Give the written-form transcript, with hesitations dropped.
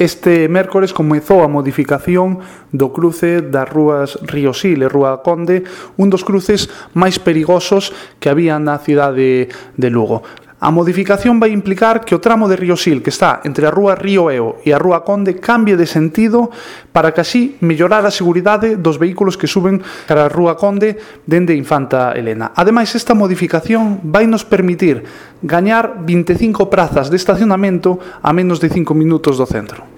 Este mércores comezou a modificación do cruce das rúas Río Sil e Rúa Conde, un dos cruces máis perigosos que había na cidade de Lugo. A modificación vai implicar que o tramo de Río Sil, que está entre a rúa Río Eo e a Rúa Conde, cambie de sentido para que así mellorar a seguridade dos vehículos que suben cara a Rúa Conde dende Infanta Elena. Ademais, esta modificación vai nos permitir gañar 25 prazas de estacionamento a menos de 5 minutos do centro.